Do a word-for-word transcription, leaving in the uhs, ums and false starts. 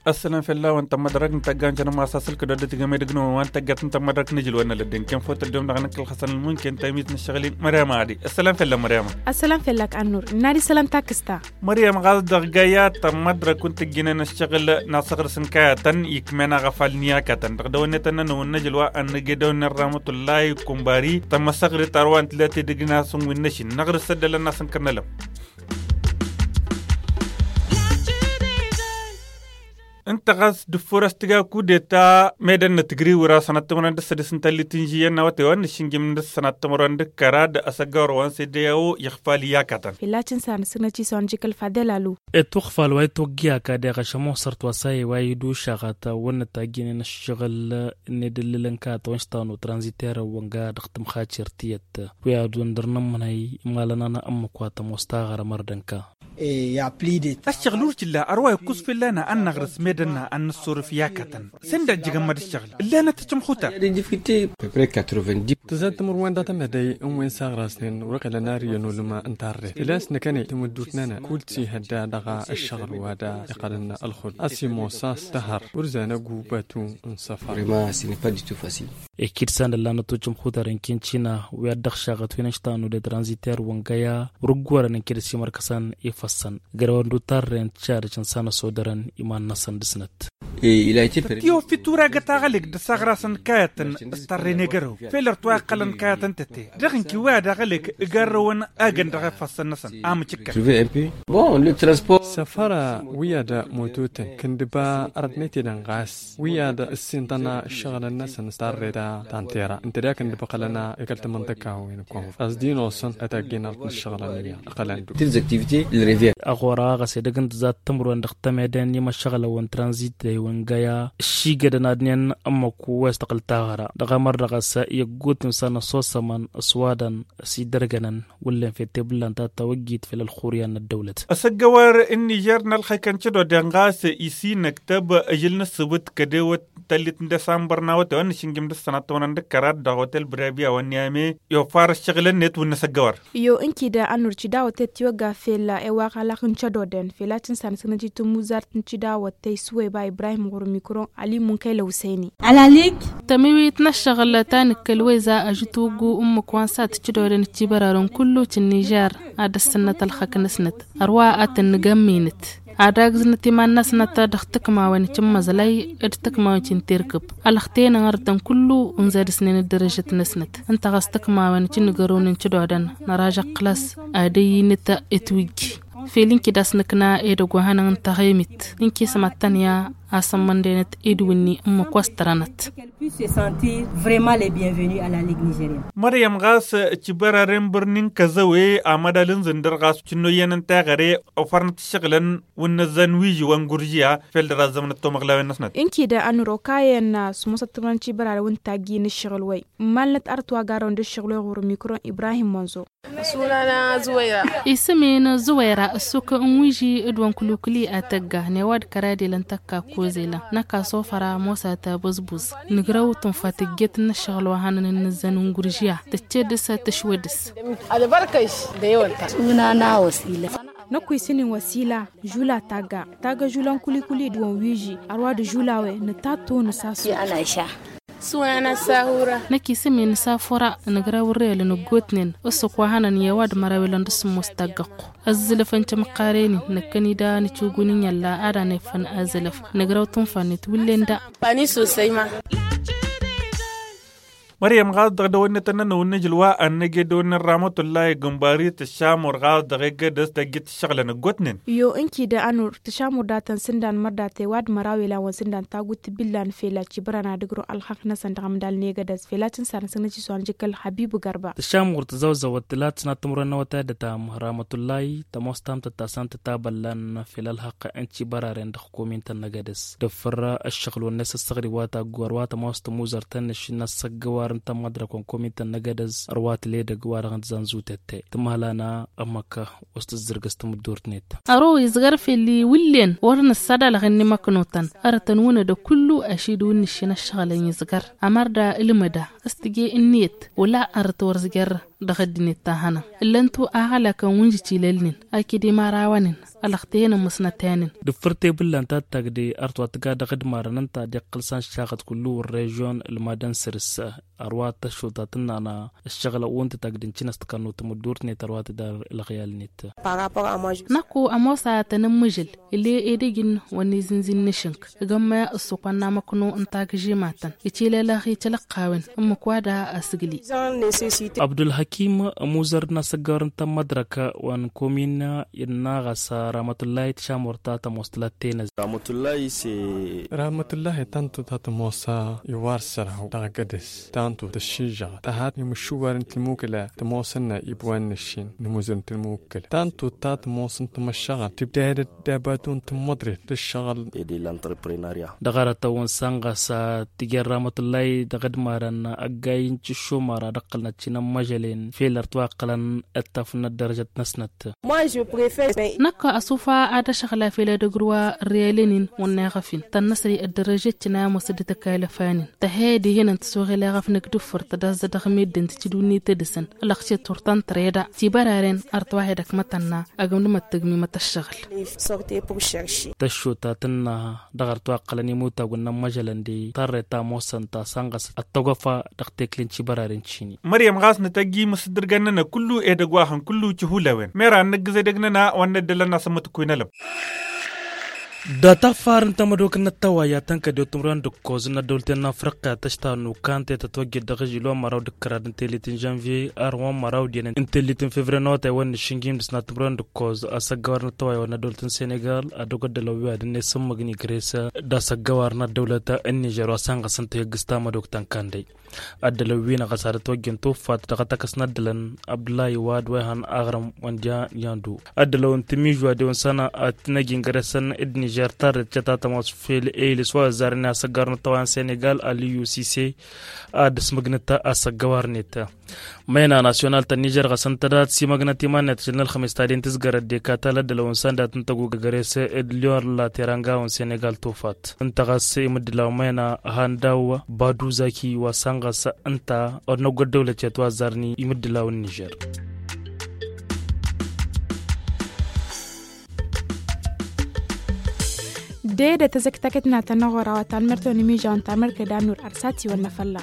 Ăssălam fell-awăn tămmădrăg n-tăgga n-cănăm asasǝl kădodăt igămedăg n-awăn wa n-tăggat n-tămmădrăg n-ijǝl wa n-alădden ken fotăt dom dăɣ-năkkăl xăsăn ǝlmun ken tamit n-ăššăɣǝl-in măryama adi. Ăssălam fell-a măryama. Ăssălam fell-ak annur n-ad-isălam takǝsta. Măryam ɣas dăɣ-găya tămmădrăk wa n-tǝjjǝnen ăššăɣǝl n-asăɣrǝs n-kayătăn ikmen aɣăfal n-iyakătăn dăɣ-dăwănnetăn-nănăwăn n-ejăl wa ănnăgedăwăn n-ramătullay kumbari tămmăsăɣrǝt arwa n-tǝlăte dăgg-nasun wi n-năšin năɣrǝs ăddălăn n-asǝnkăr n-elăm. Ǝnta ɣas dăffor a-s tǝga kudeta medăn n-atǝgriw ăra sănat timărwen d-ǝssădis n-tallit n-žiyăn n-awătay wa n-nǝššǝnjǝm n-sănat timărwen d-kăraḍ ăsăggawăr wa n-sede a-wo iɣfal iyyakătăn. Fălla-t n-san ǝssǝgnăt isăwăn jikăl fadel alu. Ătwăɣfal wa itwăgg iyaka deɣ ašămosărt wa s-a iwa idušaɣăt wa n-ătajjǝnen ăššăɣǝl n-edǝllǝlăn kayăt wa n-ǝštanu tranziter wa n-ga dăɣ-tǝmxacer tiyyăt. Wi ad-wăn dăr-nămmănăy imalăn-anăɣ ǝmmǝk wa tămoos taɣăra mărdănka. Ăššăɣǝl ur t-illa ărwa ikkǝs fălla-năɣ ad-năɣrǝs medănna ad-nǝssurǝf i-akătăn. Sănda ăjjǝgăn mad-ǝššăɣǝl ǝllanăt tăčmăxutăr. Tǝzad timǝrwen dăɣ-temădăy n-wen s-aɣrasnen wăr-iqqălăn ar iyyăn ulǝma n-tarret făl-a-s năkkăne tamǝddut-nănăɣ kull t-ihădda dăɣ-ăššăɣǝl wa d-iqqălăn ălxul a-s imoos a-s tăhăr wăr zanăggu batu n-săfar. Ekid san ǝllanăt ojăm xutaren kinčina wi ad-dăɣ-šaɣăt wi n-ăštannu d-tranziter wăngăya wăr-ǝggorăn n-ked s-imărkăsăn ifăssăn gărăwăn d-utarren tišadăš n-sanăsodărăn iman-năsăn dăr-snăt. Tătiwăfit uragăt aɣălek d-asaɣrasăn kayătăn s-tarren egărăw fel ărtwa iqqălăn kayătăn tăte dăɣ-inki wi ad-aɣălek ǝgarrăwăn agăn dăɣ-ifăssăn-năsăn. Amǝcǝkkăn. Săfara wi ad-mototăn kǝndǝba arătnet-edăn ɣas wi ad-ǝssintăn ǝššăɣǝlăn-năsăn s-tarreta ta n-tera ǝnta dek ǝndǝbăqălăn i-kăl-tamănḍăka-wen-kăwăn ɣas d-inosăn ad-taggen arăt n-ǝššăɣǝlăn-i ăqqălăn-dd. Ăɣora ɣas edăgg n-tǝzat timǝrwen dăɣ-temeden n-imăššăɣǝlăn wa n-tranzit d-e-wăn găya ǝššigădăn ad-ǝnnin ǝmmǝk wa s-tăqqǝl taɣăra dăɣ-emăr dăɣ-s i-ăggut imsan ăsosămăn s-wadăn s-idărgănăn wăllen fed tebǝllan ta tawăjjit fel ălxuryan n-ăddăwlăt. Asăggăwăr n-nižer n-ălxăyk n-cădoden ɣas isinăktăb ažǝl n-ǝssǝbǝt kădewăt tăllit n-desambăr n-awătay wa n-nǝšǝnjǝm d-ăssănat timărăn d-kăraḍ dăɣ-otel brabia wa n-niyame. Iwăfar ǝššăɣǝl-net wǝnnă asăggăwăr. Iyo ǝnkǝy da ănnur cidawăt tăt-tiwăgga fel ewaɣ alaɣ n-cădoden fel a tǝnsa n-asǝgnăt i-tǝmmuzart n-cidawăt tăy suweba ibrahim ɣur-mikro. Ali munkăy lăwsăyni. Alalik. Tămiwit n-ăššăɣǝl ta nǝkkăl weza ažǝtwǝggu ǝmmǝk wa n-sat cădoden ăccibărarăn kullu cǝnnižar ad-ăssǝnnăt ălxăk-năsnăt ărwa ad-tăn-nǝgămminăt ad-agǝznăt iman-năsnăt dăɣ-tǝkmawen cǝmmăẓlăy d-tǝkmawen cǝnterkǝb. Ălxăten ănɣăr-tăn kullu unza dăɣ-snăn ăddărăžăt-năsnăt ǝnta ɣas tǝkmawen cǝnnǝgărăwnen cădoden năraž ăqqǝl-as ad-ăyyinăt itwǝjj. Fel ǝnki d-asnăkna edăgg wa hanăɣ-ǝnta ɣemit ǝnki s-mad-tăn-ya asămmăndenăt idwǝnni ǝmmǝk wa s-tărănăt. Măryăm ɣas cibăraren bărnin kăzăwe amădal n-zǝndăr ɣas cǝnnoyyăn n-teɣăre. Ofărnăt ǝššăɣǝlăn wǝnnăzzăn wiži wa n-guržiya fel dăr-azzămnăt tomăɣlawen-năsnăt. Ǝnkǝy da ănuro kayăn s-musăt timǝrăn cibăraren wǝntajjin ǝššăɣǝl-wăy. Malnăt arăt wa garăwăn d-ǝššăɣǝl-wăy ɣur-mikro ibrahim mănzo. Isǝm-in zuwăyra ǝssuk n-wiži d-wa n-kǝlukǝli ad-tăgga n-ewa d-kăra ad-ilăn tăkka kozelăn năkk asofăra mosa tabăzbuz. Nǝgrăw tǝnfa tǝjjet n-ǝššăɣǝl wa hanăn-ǝnnǝzzăn n-guržiya tǝcced s-ad-tǝšwăd s-s. Năkk wi s-ǝnnin wăsila žula tagga tagga žula n-kǝlukǝli d-wa n-wiži ărwa d-žula-wen nǝtattu nǝsasu. Năkk isǝm-in safura nǝgrăw ărrelăn ǝggotnen ǝssǝk wa hanăn i-ăwadǝm ara welăn dăr-s ămoos taggăɣ-ku. Ăzzǝlăf n-timǝqqaren-in năkkăn-i da nǝcugun n-inyălla ad-anefăn azǝlăf. Nǝgrăw tǝnfa-net wǝllen da. Măryăm ɣas dăɣ-dăwănnetăn-nănăwăn n-ajǝl wa ănnăgedăwăn n-ramătullay gǝmbari tǝšamur ɣas dăɣ-egădăs tăjjăt ǝššăɣǝlăn ǝggotnen. Iyo ǝnki da ănur tǝšamur datăn sǝndan mărdatăy wa d-măraw elan wa n-sǝndan tagut tǝbillan fela cibărăn ad-ǝgrǝw ălxăqq-năsăn dăɣ-amdal n-egădăs fela tǝnsan asǝgnăt iswan jǝkkăl habibu gărba. Tǝšamur tǝzăwzăwăt tǝlat sănat timǝrwen n-awătay ad-dd-tam ramătullay tămoos tamtăt ta s-ăntăt abăllan fel ălxăqq n-cibăraren dăɣ-komintăn n-egădăs. Dăffăr ăššăɣǝl-wăn-net ăssăɣri wa taggu ărwa tămoos tămuzărt-tăn n-ašǝnna ăssăggăwar. n-tămmadrăkăn komintăn n-egădăz ărwa tǝla edăgg wa dăɣ-n tǝzanzutătte tǝmhălana ămmăk wa s-tǝzzǝrgăs tămǝddurt-net. Ărwa izgăr făll-i wǝllen wăr nǝssadalăɣ ǝnni măknotăn ărătăn wǝnnădăg kullu ašid wǝnnǝššin ăššăɣǝlăn izgăr ămărda ǝlmăda s-tǝje ǝnniyăt wăla ărăt wăr zjăr dăɣ-ăddinăt ta hănăm ǝllăn-tu aɣălakăn wǝnjǝt ilălnen aked imărawăn-in ălăxtehăn ămmusnăt i-anăn. Dăffăr tebǝllan ta d-tagde ărtwa tǝga dăɣ-ădmarăn ǝnta ad-iqqǝl s-anšaɣăt kullu wăr režyon ǝlmadăn săr-s ărwa tăššuta tǝnnăna ǝššăɣǝl ăwwǝntăt agdǝncin a-s tǝkănnu tămǝddurt-net ărwa tǝdar ǝlɣiyal-net. Năkku ămoos a tăn-ǝmmǝžǝl ile edăgg-in wa n-izǝnzǝn n-ašǝnk ǝgg ămmăya ǝssukănna măkno n-tagǝžimatăn icilelăɣ i-tilăqqawen ǝmmǝk wa da asǝgli. Abdulhakim ămuzăr n-asăggawăr n-tămmădrăk wa n-komin innă ɣas ramătullahi tǝšamur ta tămoos tǝlat tenăz. Ramătullahi ta n-tut ta tămoos iwar săr-haw dăɣ-gădăs ta n-tut ăššižăɣăt tăhat imǝššuwar n-tilmukǝla tămoos ǝnnă ibwan n-ǝššin n-imuzăr n-tilmukǝla ta n-tut ta tămoos n-tamăššăɣăl tǝbdayădăt d-abatu n-tămmăḍret d-ǝššăɣǝl. Dăɣ-arătăwăn s-ănɣăs tǝjăr ramătullahi dăɣ-ădmarăn ăggay n-tǝššumăra d-ăqqălnăt šinămmăžălen fel ărtwa ăqqălăn ăttăfnăt dărăžăt-năsnăt. Năkk ăsufa ad-ăšăɣla fel edăgg-ru wa ărriyalăn-in wănna iɣăf-in tănnăsăy ăddărăžăt-in a ămoos dd-tăkkalăf-anăn tăhhăyăd ihănăn tăsoɣel iɣăf n-ǝkdǝffăr tădazzăt dăɣ-meddǝn tǝcǝdunni tedǝsăn ălăɣšet turtăn tăreda tibăraren ărtwahedăk mătănna ăgǝmdǝmăt tǝgmimăt ăššăɣǝl. Tăššuta tǝnna dăɣ-ărtwa ăqqălăn imutagǝn n-ămmăžălăn de tarre ta ămoosăn ta sănɣăs ăttăgwăfa dăɣ-tekli n-tibăraren šini. Măryăm ɣas nǝtăjji imǝsǝddǝrgăn-nănăk kullu edăgg wa hăn kullu cihulăwen mera n-inǝggǝz edăgg-nănăɣ wa n-năddălăn asǝmmǝtǝkkuy n-elăb. Dat-affar n-tamădok n-ăttăway ad-tăn-kăddew timǝrwen d-ǝkkoẓ n-ăddăwlăten n-afriqqa tăštanu kante tătwăjjăd dăɣ-ažil wa n-măraw d-ǝkkăraḍ n-tellit n-žănvye ar wa n-măraw d-iyyăn n-tellit n-fevre n-awătay wa n-išǝnjim dăɣ-s n-ad-timǝrwen d-ǝkkoẓ asăggawar n-ăttăway wa n-ăddăwlăten senegal ad-dăgg-ăddălăw wi ad-ǝnne s-ǝmmǝgni gres d-asăggawar n-ăddăwlăt n-nižer wa s-ănɣăs n-tihǝggǝs tamădokt ta n-kandăy. Ăddălăw-wi-năɣ ɣas ad-ătwăjjăn tuffat dăɣ-atăkăs n-ăddălăn abdullah iwad wa ihăn aɣrǝm wa n-diyan yandu ăddălăw n-timiž wa dewăn săn ad-t-năj ingăresăn d-nižer tarret cătatămos fel eylǝs wa ăzzarăn i-asăggawar n-ăttăway n-senegal aliyu sise. Ad-ǝsmǝgnǝt asăggawar-net. Măyna nasyonal ta n-nižer ɣas ǝnta dat-simăgnăt iman-net ašăl n-ălxămes ta den tǝzgărăt dekatăl ăddălăw n-săn dat-ǝntăgug găres d-lyon la teranga wa n-senegal tufat ǝnta ɣas imǝddǝlaw măyna handaw badu zaki wa săn ɣas ǝnta ădnăgg ăddăwlăt i-ătwazzarni imǝddǝlaw n-nižer. Dede tăzăktăkăt n-ad-tăn-ăɣora wa talmărtăn imižaw n-talmărkăd anur arsati wăr năfălla.